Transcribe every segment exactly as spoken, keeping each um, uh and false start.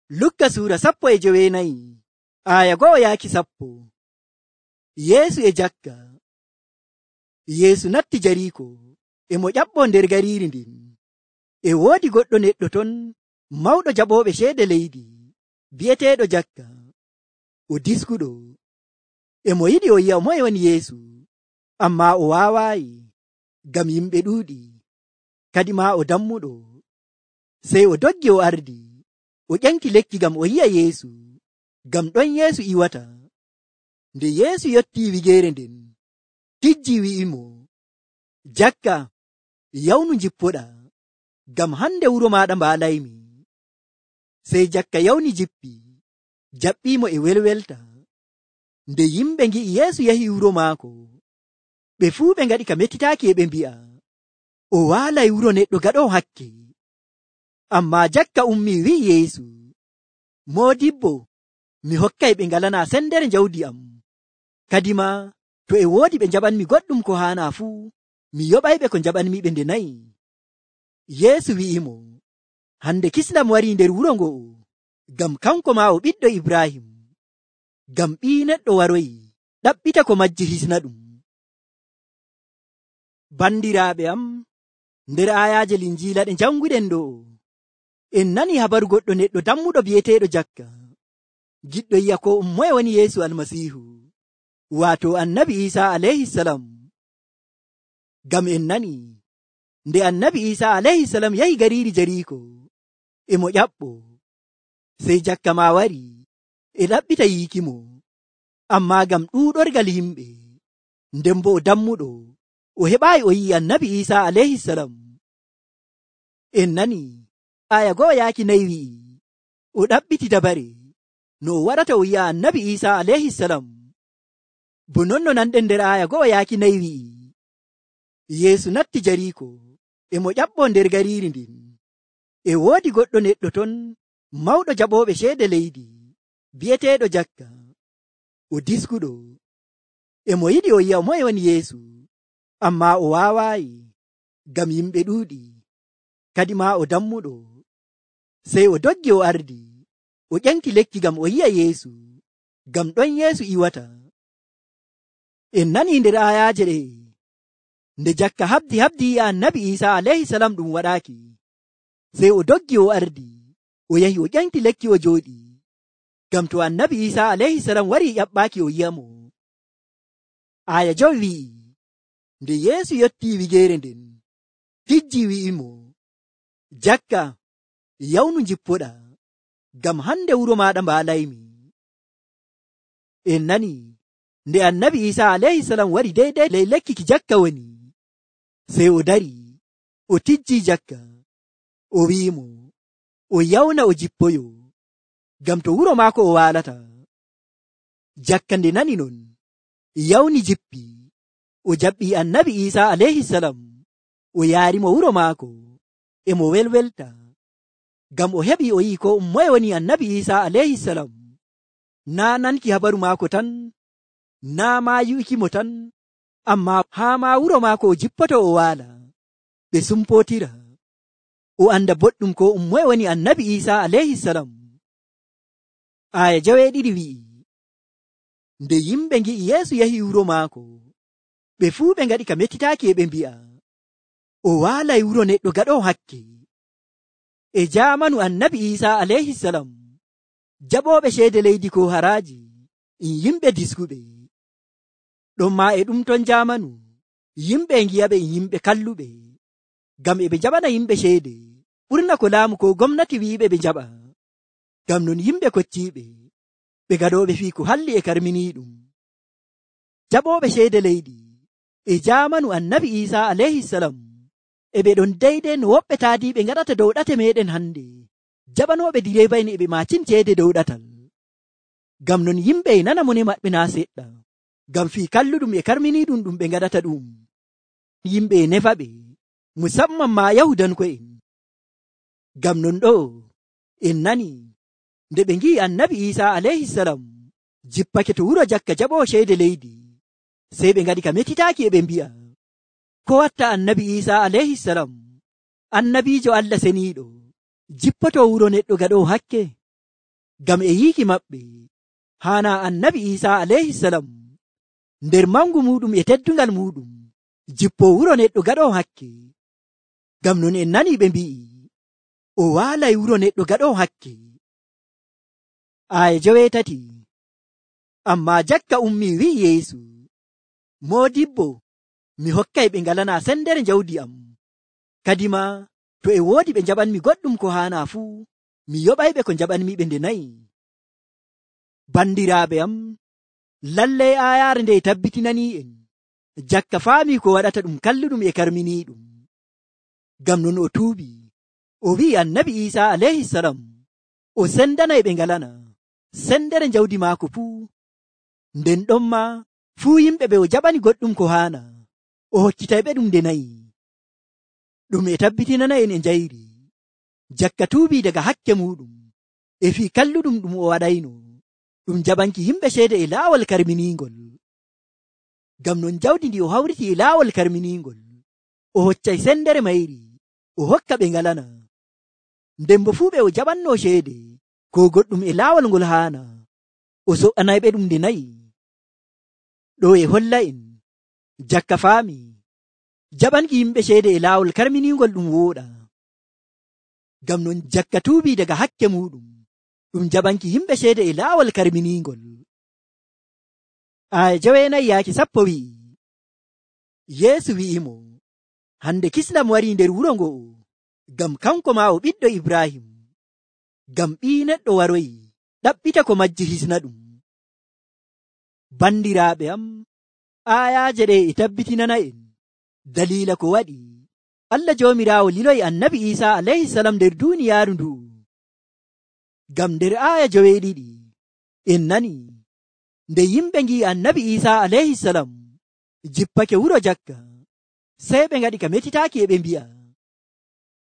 Lukka suura sappo e joweenayi aya go'o yaaki sappo. Yeesu e jakka. Yeesu natti Jariiko e mo ƴaɓɓoo nder gariiri ndin. E woodi goɗɗo neɗɗo ton mawɗo jaɓooɓe ceede leydi bi'eteeɗo Jakka. O diskuɗo. E mo yiɗi o yi'a moye woni Yeesu, ammaa o waawaayi ngam yimɓe ɗuuɗi, kadi maa o dammuɗo. Sey o doggi o ardi. O ƴanki lekki ngam o yi'a Yeesu, ngam ɗon Yeesu iwata. Nde Yeesu yottii wigeere nden, tijjii wi'imo, Jakka, yawnu njippoɗaa, ngam hande wuro maaɗa mbaalaymi. Sey Jakka yawni jippi, jaɓɓiimo e welwelta. Nde yimɓe ngi'i Yeesu yahi wuro maako, ɓe fuu ɓe ngaɗi ka mettitaaki e ɓe mbi'a, o waalay wuro neɗɗo gaɗoowo hakke. Ammaa Jakka ummii wi'i Yeesu, Moodibbo, mi hokkay ɓe ngalanaa sendere jawdi am. Kadi maa to e woodi ɓe njaɓanmi goɗɗum ko haanaa fuu, mi yoɓayɓe ko njaɓanmiɓe nde nayi. Yeesu wi'imo, hande kisndam warii nder wuro ngo'o, ngam kanko maa o ɓiɗɗo Ibraahim. Ngam Ɓii Neɗɗo waroyi ɗaɓɓita ko majji hisna ɗum. Bandiraaɓe am, nder aayaaje Linjiila ɗe janguɗen ɗo, en nani habaru goɗɗo neɗɗo dammuɗo bi'eteeɗo Jakka, giɗɗo yi'a ko um moye woni Yeesu Almasiihu, waato Annabi Iisaa alayhisalam. Ngam en nani nde Annabi Iisaa alayhisalam yahi gariiri Jariiko e mo ƴaɓɓoo, sey Jakka maa wari e ɗaɓɓita yiikimo, ammaa ngam ɗuuɗorgal yimɓe, nden bo o dammuɗo, o heɓaayi o yi'i Annabi Iisaa alayhisalam. En nani aya go'o yaaki nayi wi'i, o ɗaɓɓiti dabare no o waɗata o yi'a Annabi Iisaa alayhisalam. Bo non no nanɗen nder aya go'o yaaki nayi wi'i, Yeesu natti Jariiko e mo ƴaɓɓoo nder gariiri ndin. E woodi goɗɗo neɗɗo ton mawɗo jaɓooɓe ceede leydi bi'eteeɗo Jakka. O diskuɗo. E mo yiɗi o yi'a moye woni Yeesu, ammaa o waawaayi ngam yimɓe ɗuuɗi, kadi maa o dammuɗo. Sey o doggi o ardi. O ƴanki lekki ngam o yi'a Yeesu, ngam ɗon Yeesu iwata. En nanii nder aayaaje ɗe, nde Jakka habdi habdi yi'a Annabi Iisaa alayhisalam ɗum waɗaaki. Sey o doggi o ardi, o yahi o ƴanki lekki o jooɗi, ngam to Annabi Iisaa alayhisalam warii ƴaɓɓaaki o yi'amo. Aya jowi wi'i, nde Yeesu yottii wigeere nden, tijjii wi'imo, Jakka, yawnu njippoɗaa, ngam hande wuro maaɗa mbaalaymi. En nani nde Annabi Iisaa alayhisalam wari deydey ley lekki ki Jakka woni, sey o dari, o tijjii Jakka, o wi'imo, o yawna o jippoyo, ngam to wuro maako o waalata. Jakka nde nani non, yawni jippi, o jaɓɓii Annabi Iisaa alayhisalam, o yaarimo wuro maako, e mo welwelta, ngam o heɓii o yi'i ko um moye woni Annabi Iisaa alayhisalam. Naa nanki habaru maako tan, naa maa yi'ukimo tan, ammaa haa maa wuro maako o jippoto o waala, ɓe sumpootira, o anda boɗɗum ko um moye woni Annabi Iisaa alayhisalam. Aya jaweeɗiɗi wi'i, nde yimɓe ngi'i Yeesu yahi wuro maako, ɓe fuu ɓe ngaɗi ka mettitaaki e ɓe mbi'a, o waalay wuro neɗɗo gaɗoowo hakke. E jaamanu Annabi Iisaa alayhisalam, jaɓooɓe ceede leydi ko haraaji in yimɓe diskuɓe. Ɗonmaa e ɗum ton jaamanu, yimɓe e ngi'aɓe in yimɓe kalluɓe, ngam e ɓe njaɓana yimɓe ceede ɓurna ko laamu ko gomnati wi'iɓe ɓe njaɓa. Ngam non yimɓe kocciiɓe, ɓe gaɗooɓe fii ko halli e karminiiɗum. Jaɓooɓe ceede leydi e jaamanu Annabi Iisaa alayhisalam, e ɓe ɗon deydey no woɓɓe taadiiɓe ngaɗata dow ɗate meeɗen hande, jaɓanooɓe direeba'en e ɓe maacin ceede dow ɗatal. Ngam non yimɓe e nana mone maɓɓe naa seɗɗa, ngam fii kalluɗum e karminiiɗum ɗum ɓe ngaɗata ɗum. Yimɓe e nefa ɓe, musamman maa Yahudanko'en. Ngam non ɗo en nani nde ɓe ngi'i Annabi Iisaa alayhisalam jippake to wuro Jakka jaɓoowo ceede leydi, sey ɓe ngaɗi ka mettitaaki e ɓe mbi'a, ko watta Annabi Iisaa alayhisalam, annabiijo Allah seniiɗo, jippoto wuro neɗɗo gaɗoowo hakke? ngam e yiiki maɓɓe haana annabi Isa alayhi salam nder mangu muɗum e teddungal muɗum jippo wuro neɗɗo gaɗo hakke. Ngam non en nani ɓe mbi'i o waalay wuro neɗɗo gaɗo hakke. Aya joweetati. Amma jakka ummi wi'i Yeesu, Moodibbo, mi hokkay ɓe ngalana sendere jawdi am. Kadima to e woodi ɓe jaɓanmi goɗɗum ko haana fuu, mi yoɓayɓe ko jaɓanmi ɓe nde nayi. Bandiraaɓe am, lallay aayaare nde tabbitinanii en jakka faami ko waɗata ɗum kalluɗum e karminiiɗum. Ngam non o tuubi, o wi'i annabi Isa alayhi salam o sendanay ɓe ngalana sendere jawdi maako fuu. Nden ɗon ma fuu yimɓe ɓe o jaɓani goɗɗum ko haana o hokkitayɓe ɗum nde nayi. Ɗum e tabbitinana en e njayri jakka tuubi daga hakke muɗum e fii kalluɗum ɗum o waɗayno ɗum jaɓanki yimɓe ceede e laawol karminiingol. Ngam non jawdi ndi o hawriti e laawol karminiingol o hoccay sendere mayri o hokka ɓe ngalana. Nden bo fuu ɓe o jaɓanno ceede ko goɗɗum e laawol ngol haana o so'anayɓe ɗum nde nayi. Ɗo e holla en jakka faami jaɓanki yimɓe ceede e laawol karminiingol ɗum wooɗa. Ngam non jakka tuubi daga hakke muɗum ɗum jaɓanki yimɓe ceede e laawol karminiingol. Aya joweenayi yaaki sappo wi'i, Yeesu wi'imo, hande kisnam warii nder wuro ngo'o, ngam kanko maa o ɓiɗɗo Ibrahim. Ngam Ɓii Neɗɗo waroyi ɗaɓɓita ko majji hisna ɗum. Bandiraaɓe am, aayaaje ɗe e tabbitinana en daliila ko waɗi Allah Joomiraawo liloyi annabi Isa alayhi salam nder duuniyaaru ndu'u. Ngam nder aaya joweeɗiɗi en nani nde yimɓe ngi'i annabi Isa alayhi salam jippake wuro jakka, sey ɓe ngaɗi ka metitaaki e ɓe mbi'a,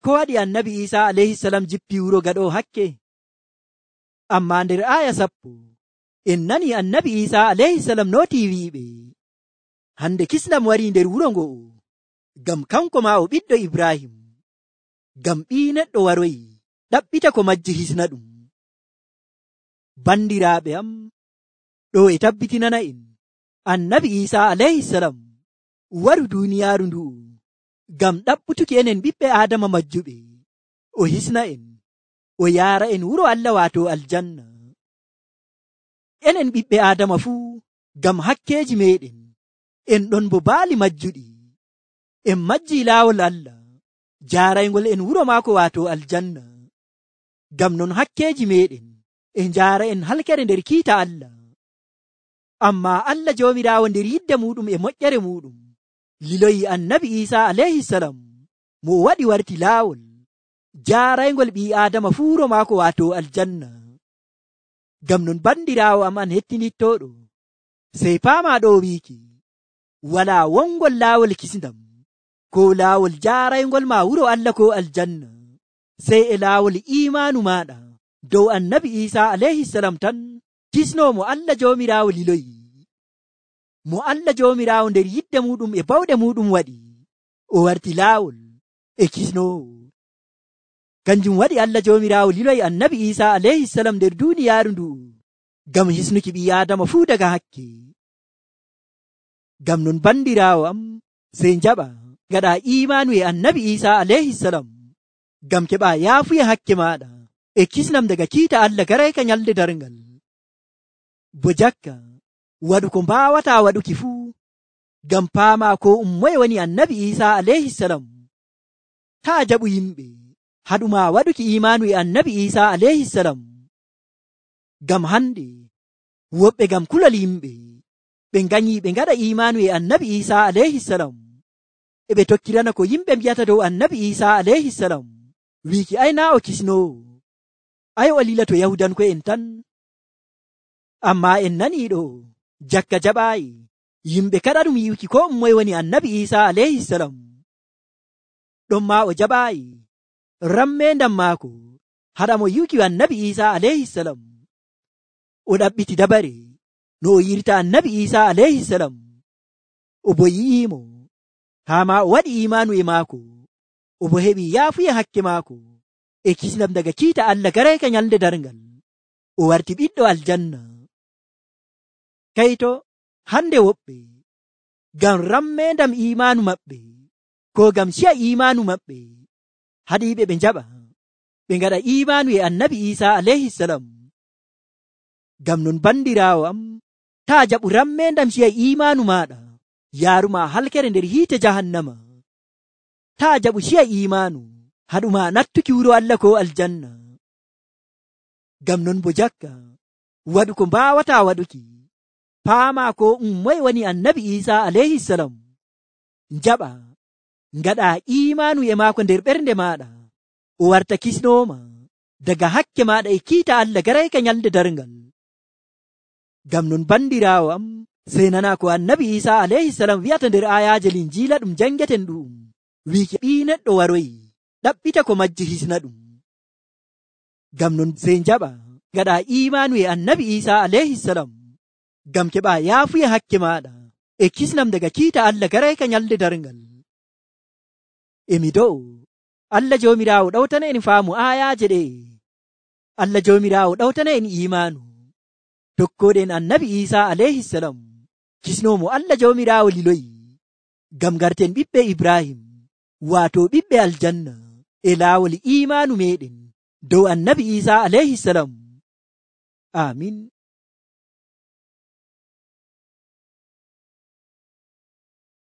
ko waɗi annabi Isa alayhi salam jippi wuro gaɗo hakke? Amma nder aaya sappo en nani annabi Isa alayhi salam nooti wi'iɓe, hande kisnam warii nder wuro ngo'o, ngam kanko maa o ɓiɗɗo Ibrahim. Ngam Ɓii Neɗɗo waroyi ɗaɓɓita ko majji hisna ɗum. Bandiraaɓe am, ɗo e tabbitinana en annabi Isa alayhi salam waru duuniyaaru ndu'u ngam ɗaɓɓutuki enen ɓiɓɓe Aadama majjuɓe o hisna en o yaara en wuro Allah waato aljanna. Enen ɓiɓɓe Aadama fuu ngam hakkeeji meɗen en ɗon bo baali majjuɗi en majji laawol Allah jaaraygol en wuro maako waato aljanna. Ngam non hakkeeji meɗen e njaara en halkere nder kiita Allah. Amma Allah Joomiraawo nder yidde muɗum e moƴƴere muɗum liloyi annabi Isa alayhi salam mo o waɗi warti laawol jaaraygol ɓii Aadama fuu wuro maako waato aljanna. Ngam non bandiraawo am an hettinittoɗo, sey paama ɗo wiiki walaa wongol laawol kisndam ko laawol jaaraygol ma wuro Allah ko aljanna, sey e laawol imaanu maɗa dow annabi Isa alayhi salam tan kisno mo Allah Joomiraawo liloyi. Mo Allah Joomiraawo nder yidde muɗum e bawɗe muɗum waɗi o warti laawol e kisnowo. Kanjum waɗi Allah Joomiraawo liloyi annabi Isa alayhi salam nder duuniyaaru ndu ngam hisnuki ɓii Aadama fuu daga hakke. Ngam non bandiraawo am, sey njaɓa gaɗa imaanu e annabi Isa alayhi salam ngam keɓa yaafuya hakke maɗa e kisnam daga kiita Allah garayka nyalde darngal. Bo jakka waɗu ko mbaawata waɗuki fuu ngam paama ko ummoye woni annabi Isa alayhi salam. taa jaɓu yimɓe haɗuma waɗuki imaanu e annabi Isa alayhi salam. Ngam hande woɓɓe ngam kulal yimɓe ɓe ganyi ɓe ngaɗa imaanu e annabi Isa alayhi salam e ɓe tokkirana ko yimɓe mbiyata dow annabi Isa alayhi salam, wiiki ay na o kisnowo, ay o lilato yahudanko en tan. Amma en nani ɗo jakka jaɓaayi yimɓe kaɗa ɗum yi'uki ko ummoye woni annabi Isa alayhi salam. ɗon ma o jaɓaayi rammendam maako haɗa mo yi'uki annabi Isa alayhi salam. O ɗaɓɓiti dabare no o yirta annabi Isa alayhi salam, o bo yi'imo haa ma o waɗi imaanu e maako, o bo heɓi yaafuya hakke maako e kisnam daga kiita Allah garayka nyalde darngal. o warti ɓiɗɗo aljanna. Kayto hande woɓɓe ngam rammendam imanu maɓɓe ko ngam ciya imanu maɓɓe haɗiɓe ɓe njaɓa ɓe ngaɗa imanu e annabi Isa alayhi salam. Ngam non bandirawo am, ta jaɓu rammendam ciya imanu maɗa yaruma halkere nder hiite jahannama. Ta jaɓu ciya imanu haɗuma nattuki wuro Allah ko aljanna. Ngam non bo jakka waɗu ko mbawata waɗuki, paama ko um moye woni annabi Isa alayhi salam, njaɓa ngaɗa imanu e maako nder ɓernde maɗa, o warta kisnoma daga hakke maɗa e kiita Allah garayka nyalde darngal. Ngam non bandirawo am, sey nana ko annabi Isa alayhi salam wi'ata nder ayaje linjila ɗum jangeten ɗum, wiiki ɓii neɗɗo waroyi ɗaɓɓita ko majji hisna ɗum. Ngam non sey njaɓa ngaɗa imanu e annabi Isa alayhi salam, ngam keɓa yaafuya hakke maɗa e kisnam daga kiita Allah garayka nyalde darngal. Emi do'o Allah jomirawo ɗawtana en faamu ayaje ɗe. Allah jomirawo ɗawtana en imanu tokkoɗen annabi Isa alayhi salam, kisnomo Allah jomirawo liloyi, ngam garten ɓiɓɓe Ibrahim, wato ɓiɓɓe aljanna e laawol imanu meɗen dow annabi Isa alayhi salam. Amin.